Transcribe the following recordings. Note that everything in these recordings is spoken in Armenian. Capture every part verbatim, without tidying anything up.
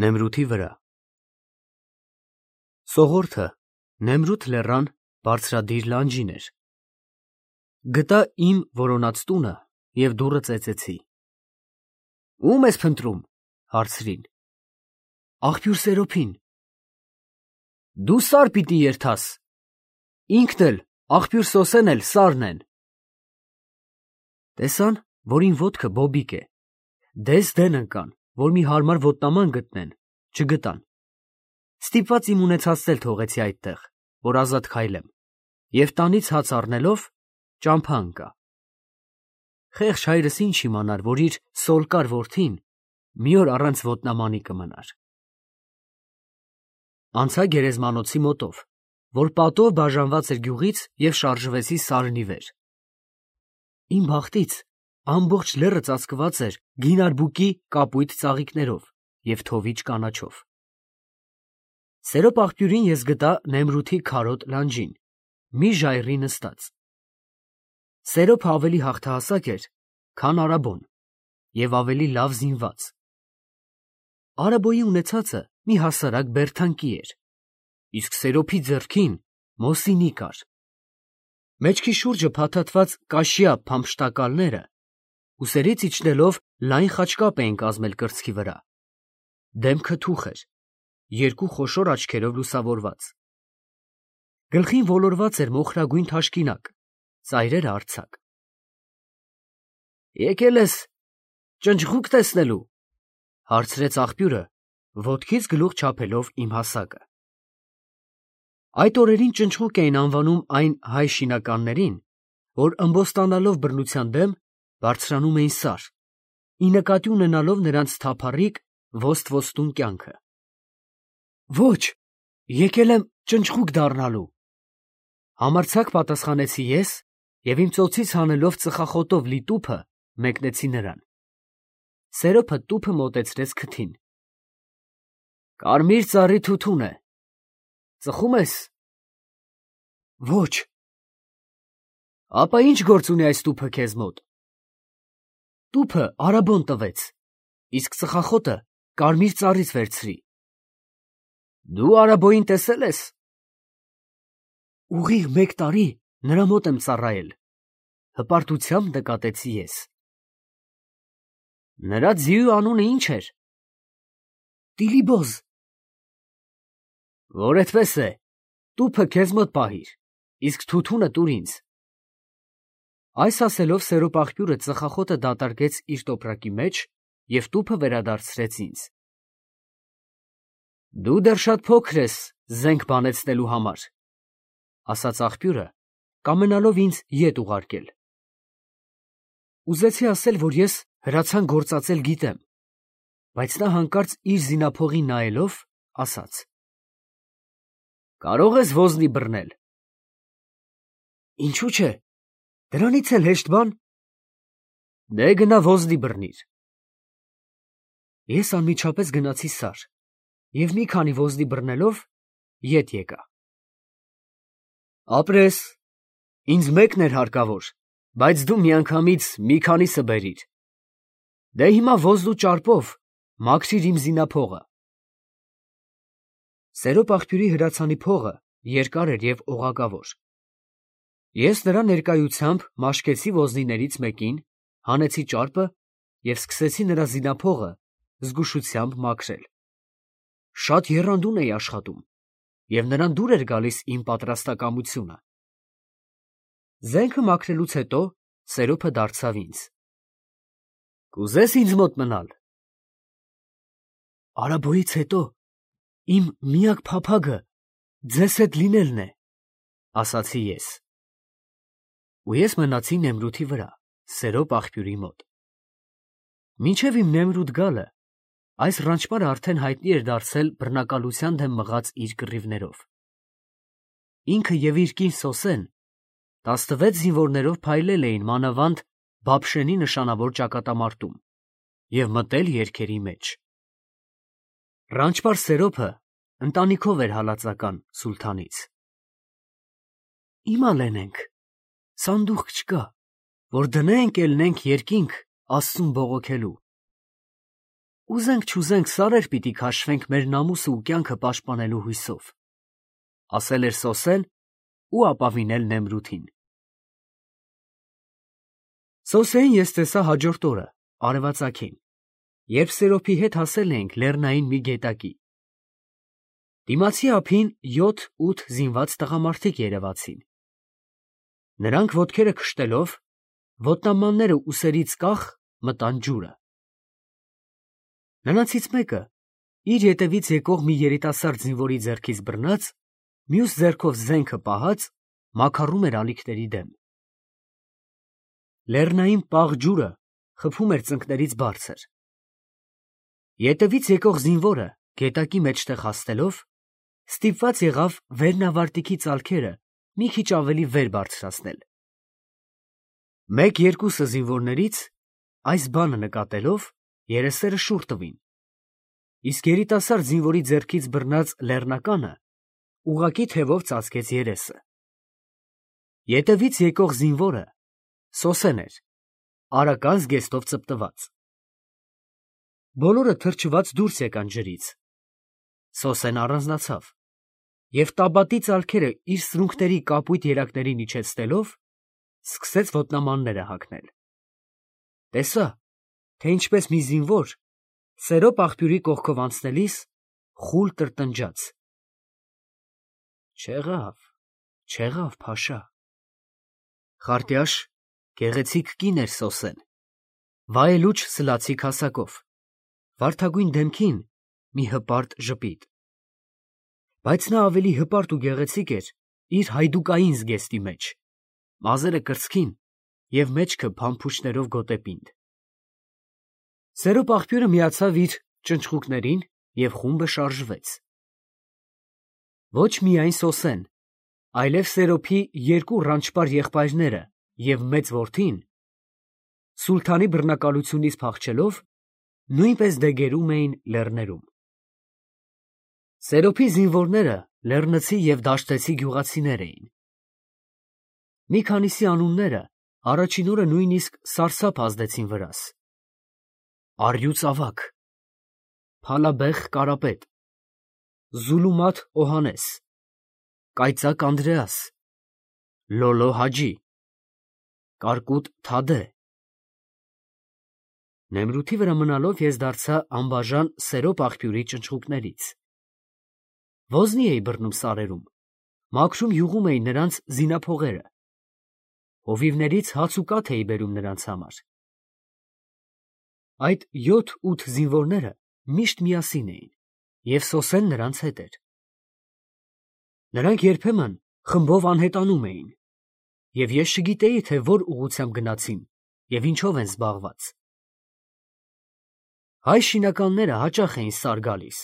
Նեմրութի վրա Սողորթը Նեմրութ լեռան բարձրադիր լանջին էր։ Գտա իմ որոնած տունը և դուռը ծեծեցի։ Ո՞ւմ ես փնտրում, հարցրին։ Աղբյուր Սերոփին։ Դու սար պիտի երթաս։ Ինքն էլ, աղբյուր Սոսեն էլ սարն են։ Տեսան, որ իմ ոտքը բոբիկ է։ Դես դեն ընկան, որ մի հարմար ոտնաման գտնեն, չգտան։ Ստիպված իմ ունեցածն էլ թողեցի այդտեղ, որ ազատ քայլեմ, և տանից հաց առնելով ճամփա ընկա։ Խեղճ հայրս ինչ իմանար, որ իր սոլկար որդին մի օր առանց ոտնամանի կմնար։ Անցա գերեզմանոցի մոտով, որ պատով բաժանված էր գյուղից, և շարժվեցի սարնի վեր։ Իմ բախտից ամբողջ լեռը ծածկված էր գինարբուկի կապույտ ծաղիկներով և թովիչ կանաչով։ Սերոպ աղբյուրին ես գտա Նեմրութի քարոտ լանջին, մի ժայռի նստած։ Սերոփը ավելի հաղթահասակ էր, քան Արաբոն, և ավելի լավ զինված։ Արաբոյի ունեցածը մի հասարակ բերդանկի էր, իսկ Սերոփի ձեռքին Մոսինի կար։ Մեջքի շուրջը փաթաթված կաշյա փամփշտակալները ուսերից իջնելով լայն խաչկապ էին կազմել կրծքի վրա։ Դեմքը թուխ էր, երկու խոշոր աչքերով լուսավորված։ Գլխին ոլորված էր մոխրագույն թաշկինակ, ծայրերը արձակ։ Եկել ես ճնճղուկ տեսնելու, հարցրեց աղբյուրը, ոտքից գլուխ չափելով իմ հասակը։ Այդ օրերին ճնճղուկ էին անվանում այն հայ շինականներին, որ ըմբոստանալով բռնության դեմ բարձրանում էին սար, ի նկատի ունենալով նրանց թափառիկ ոստ-ոստուն կյանքը։ Ոչ, եկել եմ ճնճղուկ դառնալու, համարձակ պատասխանեցի ես և իմ ծոցից հանելով ծխախոտով լի տուփը մեկնեցի նրան։ Սերոփը տուփը մոտեցրեց քթին։ Կարմիր ծառի թութուն է, ծխում ես։ Ոչ։ Ապա ի՞նչ գործ ունի այս տուփը քեզ մոտ։ Տուփը Արաբոն տվեց, իսկ ծխախոտը կարմիր ծառից վերցրի։ Դու Արաբոյին տեսել ես։ Ուղիղ մեկ տարի նրա մոտ եմ ծառայել, հպարտությամբ նկատեցի ես։ Նրա ձիու անունը ի՞նչ էր։ Տիլիբոզ։ Որ այդպես է, տուփը քեզ մոտ պահիր, իսկ թութունը տուր ինձ։ Այս ասելով Սերոպ աղբյուրը ծխախոտը դատարկեց իր տոպրակի մեջ և տուփը վերադարձրեց ինձ։ Դու դեռ շատ փոքր ես զենք բանեցնելու համար, ասաց աղբյուրը, կամենալով ինձ ետ ուղարկել։ Ուզեցի ասել, որ ես հրացան գործածել գիտեմ, բայց նա հանկարծ իր զինափողին նայելով, ասաց. Կարող ես ոզնի բռնել։ Ինչու՞ չէ, դրանից էլ հեշտ բան։ Դե գնա ոզնի բռնիր։ Ես անմիջապես գնացի սար և մի քանի ոզնի բռնելով ետ եկա։ Ապրես, ինձ մեկն էր հարկավոր, բայց դու միանգամից մի քանիսը բերիր։ Դե հիմա ոզն ու ճարպով մաքրիր իմ զինափողը։ Սերոպ աղբյուրի հրացանի փողը երկար էր և օղակավոր։ Ես նրա ներկայությամբ մաշկեցի ոզնիներից մեկին, հանեցի ճարպը և սկսեցի նրա զինափողը զգուշությամբ մաքրել։ Շատ եռանդուն էի աշխատում, և նրան դուր էր գալիս իմ պատրաստակամությունը։ Զենքը մաքրելուց հետո Սերոփը դարձավ ինձ. Կուզե՞ս ինձ մոտ մնալ։ Արաբոյից հետո իմ միակ փափագը ձեզ հետ լինելն է, ասացի ես։ Ու ես մնացի Նեմրութի վրա, Սերոպ աղբյուրի մոտ։ Մինչև իմ Նեմրութ գալը այս ռանչպարը արդեն հայտնի էր դարձել բռնակալության դեմ մղած իր կռիվներով։ Ինքը և իր կին Սոսեն տասնվեց զինվորներով փայլել էին մանավանդ Բաբշենի նշանավոր ճակատամարտում և մտել երգերի մեջ։ Ռանչպար Սերոփը ընտանիքով էր հալածական սուլթանից։ Հիմա լենենք, սանդուղք չկա, որ դնենք, ելնենք երկինք Աստծուն բողոքելու։ Ուզենք չուզենք սարեր պիտի քաշվենք մեր նամուսը ու կյանքը պաշտպանելու հույսով, ասել էր Սոսեն ու ապավինել Նեմրութին։ Սոսեին ես տեսա հաջորդ օրը, արևածագին, երբ Սերոփի հետ հասել էինք լեռնային մի գետակի։ Դիմացի ափին յոթ-ութ զինված տղամարդիկ երևացին։ Նրանք ոտքերը քշտելով, ոտնամանները ուսերից կախ մտան ջուրը։ Նրանցից մեկը իր ետևից եկող մի երիտասարդ զինվորի ձեռքից բռնած, մյուս ձեռքով զենքը պահած, մաքարում էր ալիքների դեմ։ Լեռնային պաղ ջուրը խփում էր ծնկներից բարձր։ Ետևից եկող զինվորը գետակի մեջտեղ հասնելով, ստիպված եղավ վերնավարտիքի ծալքերը մի քիչ ավելի վեր բարձրացնել։ Մեկ-երկուսը զինվորներից այս բանը նկատելով երեսերը շուռ տվին, իսկ երիտասարդ զինվորի ձեռքից բռնած լեռնականը ուղղակի թևով ծածկեց երեսը։ Ետևից եկող զինվորը Սոսեն էր, արական զգեստով ծպտված։ Բոլորը թրջված դուրս եկան ջրից։ Սոսեն առանձնացավ և տաբատի ծալքերը իր սրունքների կապույտ երակներին իջեցնելով, սկսեց ոտնամանները հագնել։ Տեսա, թե ինչպես մի զինվոր Սերոփ աղբյուրի կողքով անցնելիս խուլ տրտնջաց. «Չեղավ, չեղավ, փաշա»։ Խարտյաշ, գեղեցիկ կին էր Սոսեն, վայելուչ սլացիկ հասակով, վարդագույն դեմքին մի հպարտ ժպիտ։ Բայց նա ավելի հպարտ ու գեղեցիկ էր իր հայդուկային զգեստի մեջ, մազերը կրծքին և մեջքը փամփուշտներով գոտեպինդ։ Սերոփ աղբյուրը միացավ իր ճնճղուկներին և խումբը շարժվեց։ Ոչ միայն Սոսեն, այլև Սերոփի երկու ռանչպար եղբայրները և մեծ որդին, սուլթանի բռնակալությունից փախչելով, նույնպես դեգերում էին լեռներում։ Սերոփի զինվորները լեռնցի և դաշտեցի գյուղացիներ էին։ Մի քանիսի անունները առաջին օրը նույնիսկ սարսափ ազդեցին վրաս. Առյուծ ավագ, Փալաբեխ Կարապետ, Զուլումաթ Օհանես, Կայծակ Անդրեաս, Լոլո Հաջի, Կարկուտ Թադե։ Նեմրութի վրա մնալով ես դարձա անբաժան Սերոփ աղբյուրի ճնճղուկներից։ Ոզնի էի բռնում սարերում, մաքրում յուղում էի նրանց զինափողերը, հովիվներից հաց ու կաթ էի բերում նրանց համար։ Այդ յոթ-ութ զինվորները միշտ միասին էին, և Սոսեն նրանց հետ էր։ Նրանք երբեմն խմբով անհետանում էին, և ես չգիտեի, թե որ ուղղությամբ գնացին և ինչով են զբաղված։ Հայ շինականները հաճախ էին սար գալիս.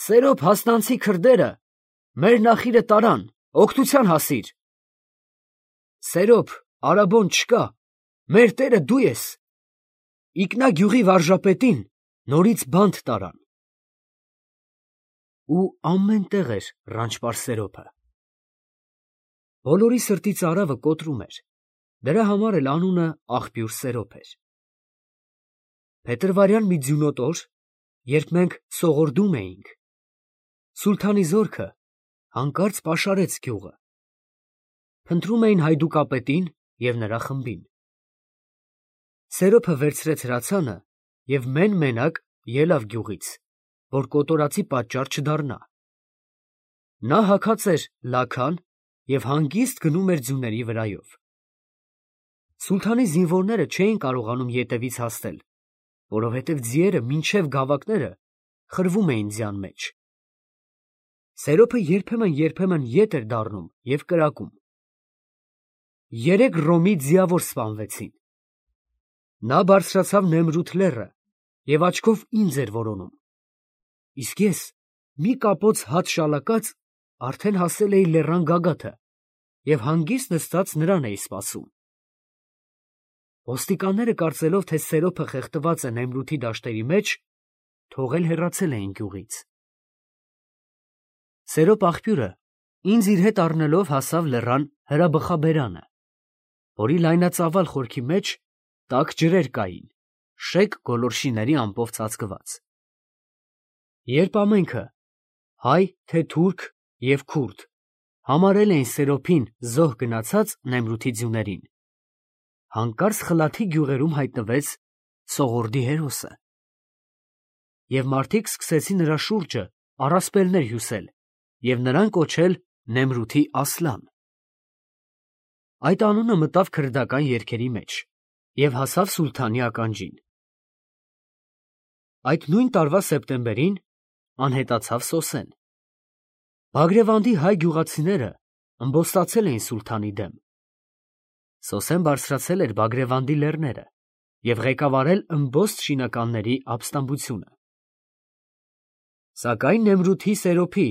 «Սերոփ հասնանցի քրդերը մեր նախիրը տարան, օգնության հասիր»։ «Սերոփ, արաբոն չկա, մեր տերը դու ես»։ «Իկնա գյուղի վարժապետին նորից բանտ տարան»։ Ու ամեն տեղ էր ռանչպար Սերոփը։ Բոլորի սրտի ծարավը կոտրում էր, դրա համար էլ անունը աղբյուր Սերոփ էր։ Փետրվարյան մի ձյունոտ օր, երբ մենք սողորդում էինք, սուլթանի զորքը հանկարծ պաշարեց գյուղը։ Փնտրում էին հայդուկապետին և նրա խմբին։ Սերոփը վերցրեց հրացանը և մեն֊մենակ ելավ գյուղից, որ կոտորածի պատճառ չդառնա։ Նա հագած էր լաքան և հանգիստ գնում էր ձյուների վրայով։ Սուլթանի զինվորները չէին կարողանում ետևից հասնել, որովհետև ձիերը մինչև գավակները խրվում էին ձյան մեջ։ Սերոփը երբեմն-երբեմն ետ էր դառնում և կրակում։ Երեք ռոմի ձիավոր սպանվեցին։ Նա բարձրացավ Նեմրութ լեռը և աչքով ինձ էր որոնում, իսկ ես, մի կապոց հաց շալակած, արդեն հասել էի լեռան գագաթը և հանգիստ նստած նրան էի սպասում։ Ոստիկանները, կարծելով, թե Սերոփը խեղդված է Նեմրութի դաշտերի մեջ, թողել հեռացել էին գյուղից։ Սերոփ աղբյուրը ինձ իր հետ առնելով հասավ լեռան հրաբխաբերանը, որի լայնածավալ խորքի մեջ տաք ջրեր կային, շեկ գոլորշիների ամպով ծածկված։ Երբ ամենքը, հայ թե թուրք և քուրդ, համարել էին Սերոփին զոհ գնացած Նեմրութի ձյուներին, հանկարծ Խլաթի գյուղերում հայտնվեց Սողորդի հերոսը, և մարդիկ սկսեցին նրա շուրջը առասպելներ հյուսել և նրան կոչել Նեմրութի Ասլան։ Այդ անունը մտավ քրդական երգերի մեջ և հասավ սուլթանի ականջին։ Այդ նույն տարվա սեպտեմբերին անհետացավ Սոսեն։ Բագրևանդի հայ գյուղացիները ըմբոստացել էին սուլթանի դեմ։ Սոսեն բարձրացել էր Բագրևանդի լեռները և ղեկավարել ըմբոստ շինականների ապստամբությունը։ Սակայն Նեմրութի Սերոփի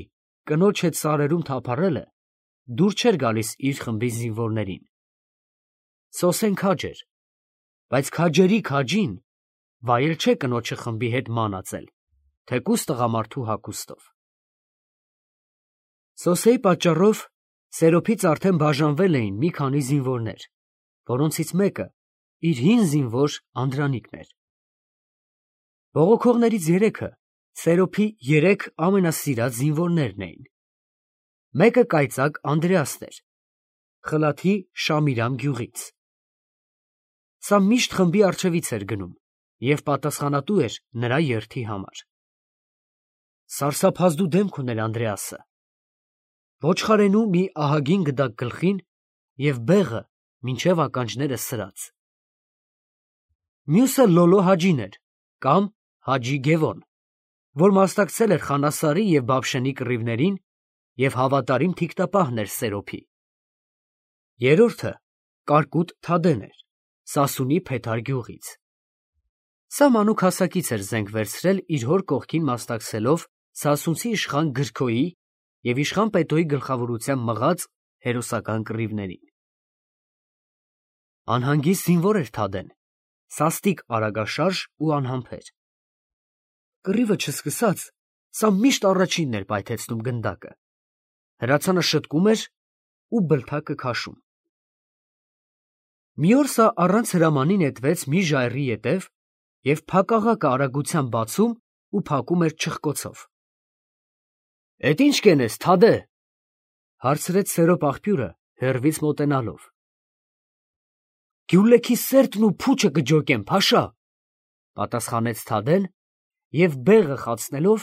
կնոջ հետ սարերում թափառելը դուր չէր գալիս իր խմբի զինվորներին։ Սոսեն քաջ էր, բայց քաջերի քաջին վայել չէ կնոջը խմբի հետ մանածել, թեկուզ տղամարդու հագուստով։ Սոսեի պատճառով Սերոփից արդեն բաժանվել էին մի քանի զինվորներ, որոնցից մեկը իր հին զինվոր Անդրանիկն էր։ Բողոքողներից երեքը Սերոփի երեք ամենասիրած զինվորներն էին։ Մեկը կայծակ Անդրեասն էր, Խլաթի Շամիրամ գյուղից։ Սա միշտ խմբի առջևից էր գնում և պատասխանատու էր նրա երթի համար։ Սարսափազդու դեմք ուներ Անդրեասը, ոչխարենու մի ահագին գդակ գլխին և բեղը մինչև ականջները սրած։ Մյուսը Լոլո Հաջին էր կամ Հաջի Գևոն, որ մասնակցել էր Խանասարի և Բաբշենի կռիվներին և հավատարիմ թիկնապահն էր Սերոփի։ Երրորդը Կարկուտ Թադեն էր, Սասունի Փեթար գյուղից։ Սա մանուկ հասակից էր զենք վերցրել իր հոր կողքին մասնակցելով սասունցի իշխան Գրքոյի և իշխան Պետոյի գլխավորությամբ մղած հերոսական կռիվներին։ Անհանգիստ զինվոր էր Թադեն, սաստիկ արագաշարժ ու անհամբեր։ Կռիվը չսկսած, սա միշտ առաջինն էր պայթեցնում գնդակը, հրացանը շտկում էր ու բլթակը քաշում։ Մի օր սա առանց հրամանի նետվեց մի ժայռի ետև և փակաղակը արագությամբ բացում ու փակում էր չխկոցով։ ֊ Էդ ի՞նչ կենես, Թադէ, ֊ հարցրեց Սերոփ աղբյուրը հեռվից մոտենալով։ ֊ Գյուլեքի սերտն ու փուչը կջոկեմ, փաշա, ֊ պատասխանեց Թադեն և բեղը խացնելով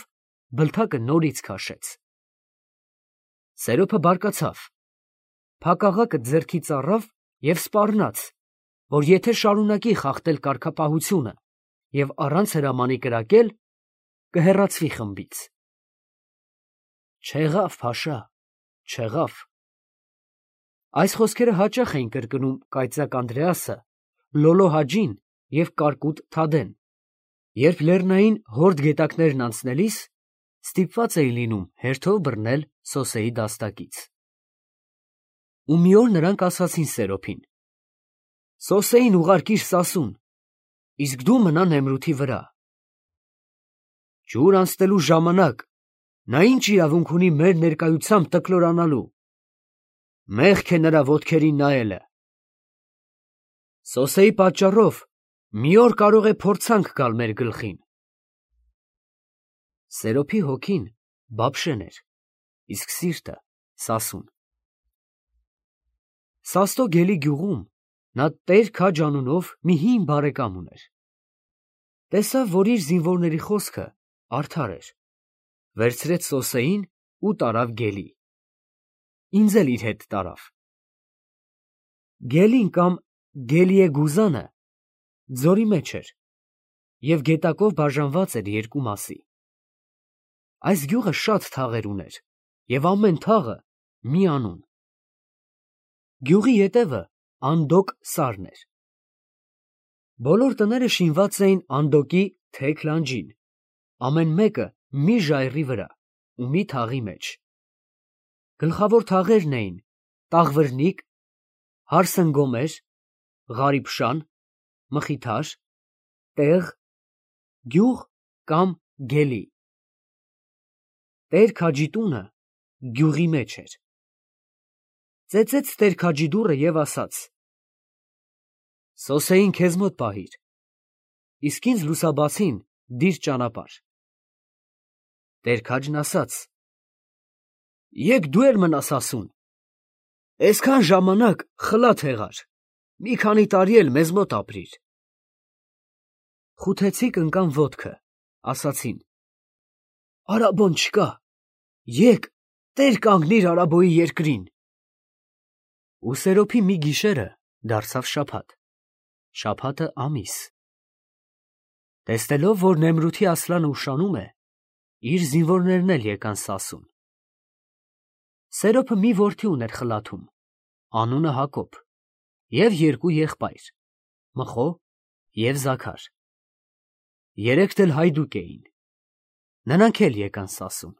բլթակը նորից քաշեց։ Սերոփը բարկացավ, փակաղակը ձեռքից առավ և սպառնաց, որ եթե շարունակի խախտել կարգապահությունը և առանց հրամանի կրակել, կհեռացվի խմբից։ Չեղավ, փաշա, չեղավ։ Այս խոսքերը հաճախ էին կրկնում կայծակ Անդրեասը, Լոլո Հաջին և Կարկուտ Թադեն, երբ լեռնային հորդ գետակներն անցնելիս ստիպված էին լինում հերթով բռնել Սոսեի դաստակից։ Ու մի օր նրանք ասացին Սերոփին. «Սոսեին ուղարկիր Սասուն, իսկ դու մնա Նեմրութի վրա»։ Ջուր անցնելու ժամանակ նա ինչ իրավունք ունի մեր ներկայությամբ տկլորանալու։ Մեղք է նրա ոտքերին նայելը։ Սոսեի պատճառով մի օր կարող է փորձանք գալ մեր գլխին։ Սերոփի հոգին Բաբշեն էր, իսկ սիրտը Սասուն։ Սաստո գելի գյուղում նա Տեր-Քաջ անունով մի հին բարեկամ ուներ։ Տեսավ, որ իր զինվորների խոսքը արդար էր, վերցրեց Սոսեին ու տարավ գելի։ Ինձ էլ իր հետ տարավ։ Գելին կամ Գելիեգուզանը ձորի մեջ էր և գետակով բաժանված էր երկու մասի։ Այս գյուղը շատ թաղեր ուներ և ամեն թաղը մի անուն։ Գյուղի ետևը Անդոկ սարն էր։ Բոլոր տները շինված էին Անդոկի թեք լանջին, ամեն մեկը մի ժայռի վրա ու մի թաղի մեջ։ Գլխավոր թաղերն էին Տաղվրնիկ, Հարսնգոմեր, Ղարիբշան, Մխիթար, Տեղ, գյուղ կամ գելի։ Տեր-Քաջի տունը գյուղի մեջ էր։ Ծեծեց Տեր-Քաջի դուռը և ասաց. «Սոսեին քեզ մոտ պահիր»։ իսկ ինձ լուսաբացին դիր ճանապարհ։ Տեր քաջն ասաց. «Եկ դու էլ մնաս ասուն, այսքան ժամանակ խլաթ եղար, մի քանի տարի էլ մեզ մոտ ապրիր»։ Խութեցիք ընկան ոտքը, ասացին. «Արաբոն չկա, եկ տեր կանգնիր Արաբոյի երկրին»։ Ու Սերոփի մի գիշերը դարձավ շաբաթ, շաբաթը ամիս։ Տեսնելով, որ Նեմրութի Ասլանը ուշանում է, իր զինվորներն էլ եկան Սասուն։ Սերոփը մի որդի ուներ խլաթում, անունը Հակոբ, և երկու եղբայր՝ Մխո և Զաքար։ Երեքն էլ հայդուկ էին, նրանք էլ եկան Սասուն։